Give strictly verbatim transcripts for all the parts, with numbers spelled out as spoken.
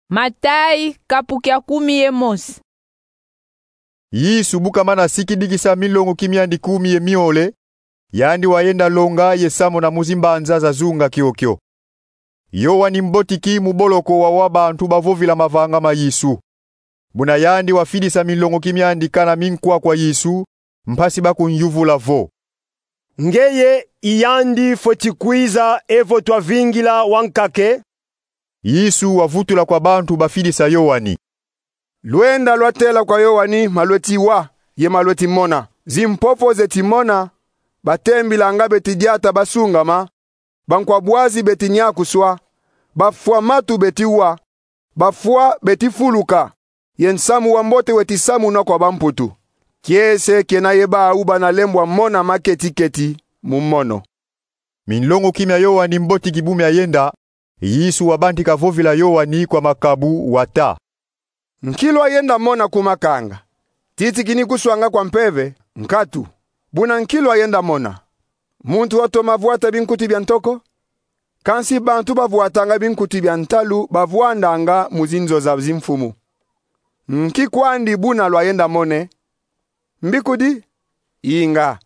Matayi, kapu kia kumi ye mosi. Yesu bu kamana sikidikisa minlongoki miandi kumi ye miole, yandi wayenda longa ye samuna mu zimbanza zazunga kiokio. Yoani Mbotiki mu boloko wawa bantu bavovila mavanga ma Yesu. Buna yandi wafidisa minlongoki miandi kana minkwa kwa Yesu, mpasi bakunyuvula vo: Ngeye i yandi fweti kwiza evo twavingila wankaka e? Yesu wavutula kwa bantu bafidisa Yoani: Lwenda lwatela kwa Yoani ma lweti wa ye ma lweti mona. Zimpofo zeti mona, batembilanga beti diata basungama, bankwa bwazi beti nyakuswa, bafwa matu beti wa, bafwa beti fuluka, ye nsamu wa mbote weti samunwa kwa bamputu. Kiese kiena ye bau bana lembwa mona maketi-keti mu mono. Minlongoki mia Yoani Mbotiki bu miayenda, Yesu wabantika vovila Yoani kwa makabu, wata: Nki lwayenda mona ku makanga? Titi kini kuswanga kwa mpeve? Nkatu. Buna nki lwayenda mona? Muntu watoma vwata binkuti bia ntoko? Kansi bantu bavwatanga binkuti bia ntalu bavwandanga mu zinzo za zimfumu. Nki kwandi buna lwayenda mona e? Mbikudi? Inga,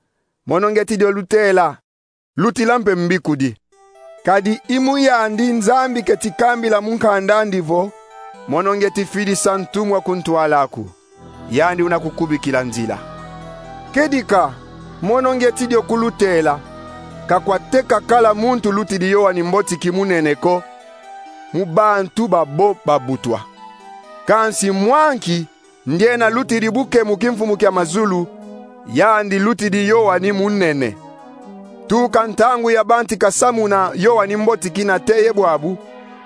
mono ngeti dio lutela, lutila mpe mbikudi. Kadi i mu yandi Nzambi keti kambila mu nkanda andi vo: Mono ngeti fidisa ntumwa ku ntwala aku, yandi una kukubikila nzila. Kedika, mono ngeti dio kulutela, ka kwateka kala muntu lutidi Yoani Mbotiki munene ko mu bantu babo babutwa. Kansi mwa nki ndiena lutidi bu ke mu kimfumu kia mazulu, yandi lutidi Yoani munene. Tuka ntangu yabantika samuna Yoani Mbotiki nate ye bwabu,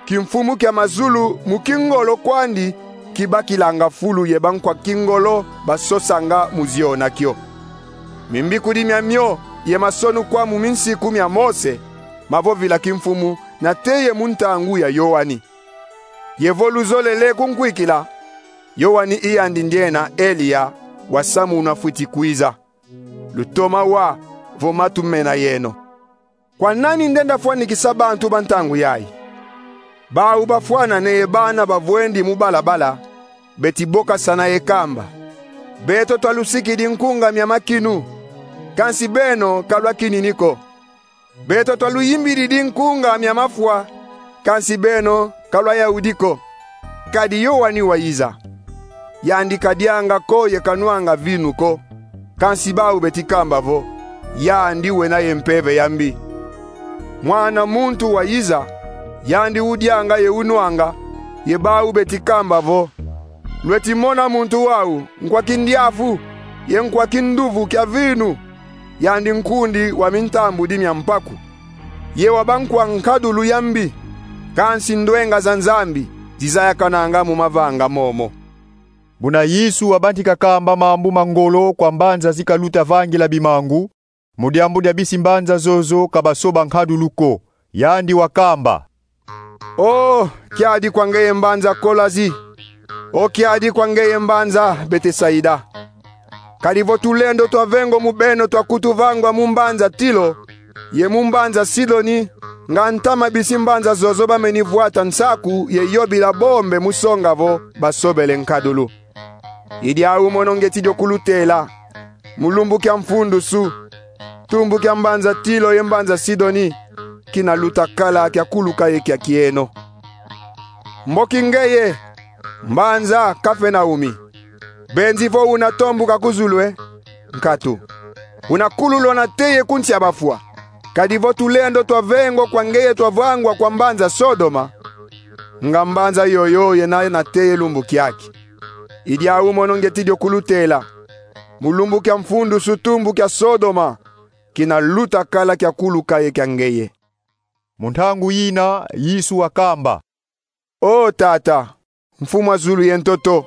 kimfumu kia mazulu mu kingolo kwandi kibakilanga fulu ye bankwa kingolo basosanga mu ziona kio. Mimbikudi miamio ye masonukwa mu minsiku mia Mose mavovila kimfumu nate ye mu ntangu ya Yoani. Ye vo luzolele kunkwikila, Yoani i yandi ndiena Eliya wasamunwa fwiti kwiza. Lutoma wa vo matu mena yeno. Kwa nani ndenda fwanikisa bantu ba ntangu yayi? Bau bafwanane ye bana bavwendi mu balabala, beti bokasana ye kamba: Beto twalusikidi nkunga mia makinu, kansi beno ka lwakinini ko. Beto twaluyimbididi nkunga mia mafwa, kansi beno ka lwayaudi ko. Kadi Yoani wayiza. Yandi kadianga ko ye kanwanga vinu ko, kansi bau beti kamba vo: Yandi wena ye mpeve ya mbi. Mwana muntu wayiza, yandi udianga ye unwanga, ye bau beti kamba vo: Lweti mona muntu wau, nkwa kindiafu ye nkwa kinduvu kia vinu, yandi nkundi wa mintambudi mia mpaku. Ye wa bankwa nkadulu ya mbi, kansi ndwenga za Nzambi zizayakananga mu mavanga momo. Buna Yesu wabantika kamba mambu ma ngolo kwa mbanza zikaluta vangila bimangu, mu diambu dia bisi mbanza zozo ka basoba nkadulu ko, yandi wakamba: O kiadi kwa ngeye mbanza Kolazi! O kiadi kwa ngeye mbanza Betesaida! Kadi vo tulendo twa vengo mu beno twakutu vangwa mu mbanza Tilo ye mu mbanza Sidoni, nga ntama bisi mbanza zozo bameni vwata nsaku ye yobila bombe mu songa vo basobele nkadulu. I diau mono ngeti dio kulutela: mu lumbu kia mfundusu, tumbu kia mbanza Tilo ye mbanza Sidoni kina luta kala kia kuluka ye kia kieno. Mboki ngeye, mbanza Kafernaumi! Benzi vo una tombuka ku zulu e? Nkatu. Una kululwa nate ye ku nsi a bafwa. Kadi vo tulendo twa vengo kwa ngeye twavangwa kwa mbanza Sodoma, nga mbanza yoyo yena nate ye lumbu kiaki. I diau mono ngeti dio kulutela: mu lumbu kia mfundusu tumbu kia Sodoma kina luta kala kia kuluka ye kia ngeye. Mu ntangu yina Yesu wakamba: O Tata, Mfumu a zulu ye ntoto,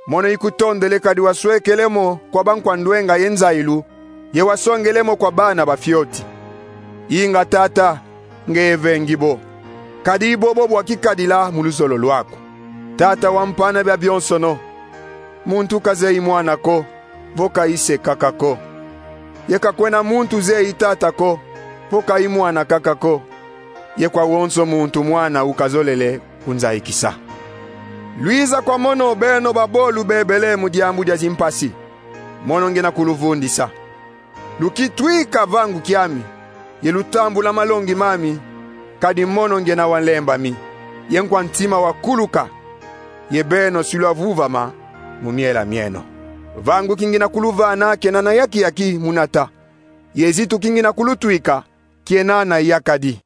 mono ikutondele kadi waswekele mo kwa bankwa ndwenga ye nzayilu, ye wasongele mo kwa bana ba fioti. Inga Tata, ngeye vengi bo, kadi i bobo bwakikadila mu luzolo lwaku. Tata wampana bia bionsono, muntu kazeyi Mwana ko, vo ka i Se kaka ko. Ye ka kwena muntu zeyi Tata ko, vo ka i Mwana kaka ko, ye kwa wonso muntu Mwana ukazolele kunzayikisa. Lwiza kwa mono, beno babolu bebele mu diambu dia zimpasi, mono ngiena kuluvundisa. Lukitwika vangu kiami, ye lutambula malongi mami, kadi mono ngiena wa nlembami, ye nkwa ntima wa kuluka, ye beno si lwavuvama mu miela mieno. Vangu kingiena kuluvana kiena na yaki-yaki mu nata, ye zitu kingiena kulutwika kiena na yakadi.